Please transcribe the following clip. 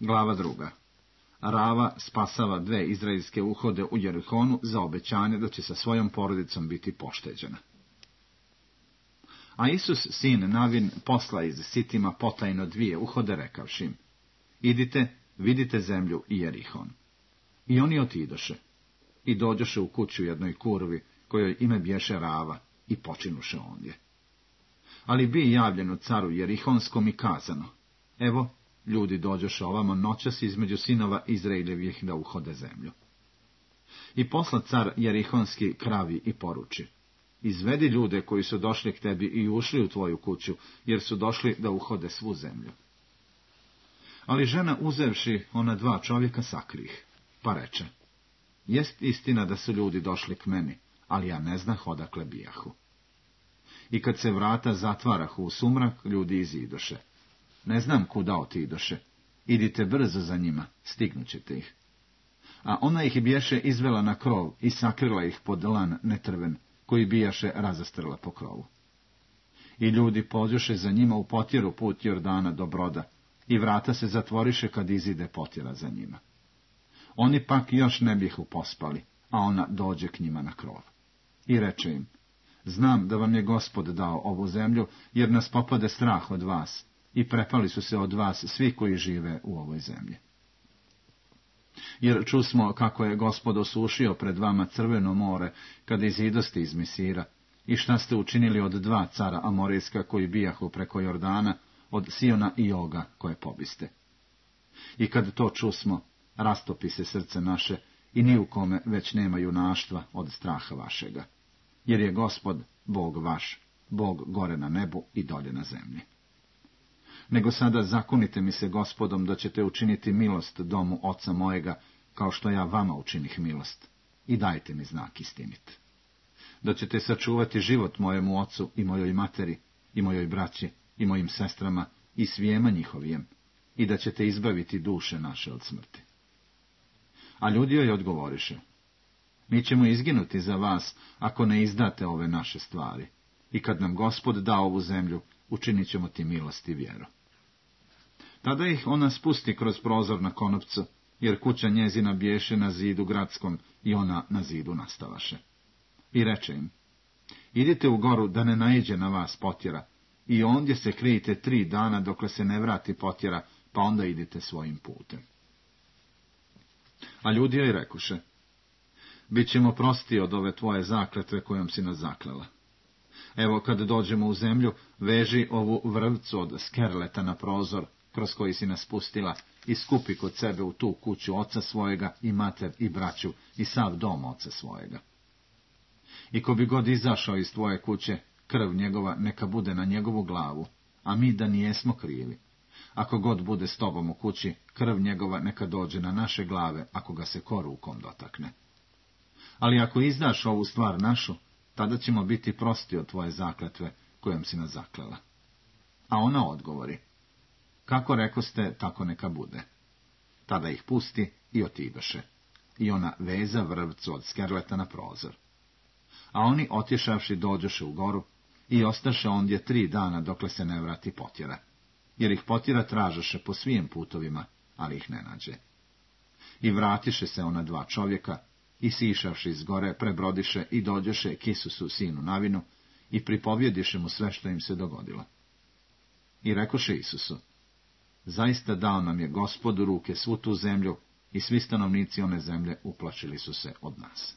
Glava 2. Rava spasava 2 izraelske uhode u Jerihonu za obećanje da će sa svojom porodicom biti pošteđena. A Isus, sin Navin, posla iz Sitima potajno 2 uhode, rekavši im: idite, vidite zemlju i Jerihon. I oni otidoše. I dođoše u kuću jednoj kurvi, kojoj ime bješe Rava, i počinuše ondje. Ali bi javljeno caru Jerihonskom i kazano: evo, ljudi dođoše ovamo noćas između sinova Izraeljevih da uhode zemlju. I posla car Jerihonski kravi i poruči: izvedi ljude koji su došli k tebi i ušli u tvoju kuću, jer su došli da uhode svu zemlju. Ali žena, uzevši ona 2 čovjeka, sakrih, pa reče: jest istina da su ljudi došli k meni, ali ja ne znah odakle bijahu. I kad se vrata zatvarahu u sumrak, ljudi izidoše. Ne znam kuda otidoše, idite brzo za njima, stignućete ih. A ona ih bješe izvela na krov i sakrila ih pod lan netrven, koji bijaše razastrla po krovu. I ljudi pođoše za njima u potjeru put Jordana do broda, i vrata se zatvoriše kad izide potjera za njima. Oni pak još ne bihu pospali, a ona dođe k njima na krov. I reče im: znam da vam je Gospod dao ovu zemlju, jer nas popade strah od vas, i prepali su se od vas svi koji žive u ovoj zemlji. Jer čusmo kako je Gospod osušio pred vama Crveno more, kada izidoste iz Misira, i šta ste učinili od 2 cara Amorijska koji bijahu preko Jordana, od Siona i Oga koje pobiste. I kad to čusmo, rastopi se srce naše, i ni u kome već nema junaštva od straha vašega. Jer je Gospod, Bog vaš, Bog gore na nebu i dolje na zemlji. Nego sada zakunite mi se Gospodom da ćete učiniti milost domu oca mojega, kao što ja vama učinih milost, i dajte mi znak istinit. Da ćete sačuvati život mojemu ocu i mojoj materi, i mojoj braći, i mojim sestrama, i svijema njihovijem, i da ćete izbaviti duše naše od smrti. A ljudi joj odgovoriše: mi ćemo izginuti za vas, ako ne izdate ove naše stvari, i kad nam Gospod da ovu zemlju, učinit ćemo ti milost i vjeru. Tada ih ona spusti kroz prozor na konopcu, jer kuća njezina bješe na zidu gradskom, i ona na zidu nastavaše. I reče im: idite u goru da ne naiđe na vas potjera, i ondje se krijite 3 dana dokle se ne vrati potjera, pa onda idite svojim putem. A ljudi joj rekuše: bit ćemo prosti od ove tvoje zakletve kojom si nas zaklela. Evo, kad dođemo u zemlju, veži ovu vrvcu od skerleta na prozor, kroz koji si nas pustila, i skupi kod sebe u tu kuću oca svojega, i mater, i braću, i sav dom oca svojega. I ko bi god izašao iz tvoje kuće, krv njegova neka bude na njegovu glavu, a mi da nijesmo krivi. Ako god bude s tobom u kući, krv njegova neka dođe na naše glave, ako ga se ko rukom dotakne. Ali ako izdaš ovu stvar našu, tada ćemo biti prosti od tvoje zakletve kojom si nas zaklela. A ona odgovori: kako rekoste, tako neka bude. Tada ih pusti i otidoše. I ona veza vrvcu od skerleta na prozor. A oni, otješavši, dođoše u goru i ostaše ondje 3 dana dokle se ne vrati potjera, jer ih potjera tražoše po svim putovima, ali ih ne nađe. I vratiše se ona 2 čovjeka, i sišavši iz gore, prebrodiše i dođoše k Isusu, sinu Navinu, i pripovjediše mu sve što im se dogodilo. I rekoše Isusu: zaista dao nam je Gospod u ruke svu tu zemlju, i svi stanovnici one zemlje uplašili su se od nas.